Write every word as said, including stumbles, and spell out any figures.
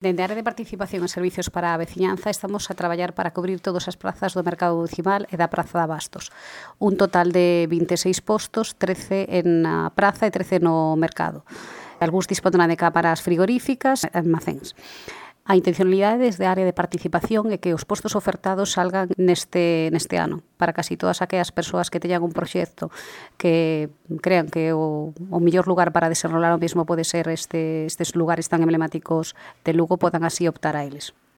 Dende a área de participación e servicios para a veciñanza estamos a traballar para cubrir todas as prazas do mercado municipal e da Praza de Abastos. Un total de vinte e seis postos, trece en a praza e trece no mercado. Algúns dispondrán de cámaras frigoríficas e almacéns. A intencionalidade desde a área de participación é que os postos ofertados salgan neste, neste ano, para casi todas aquelas persoas que teñan un proxecto que crean que o, o mellor lugar para desenrolar o mesmo pode ser este, estes lugares tan emblemáticos de Lugo, podan así optar a eles.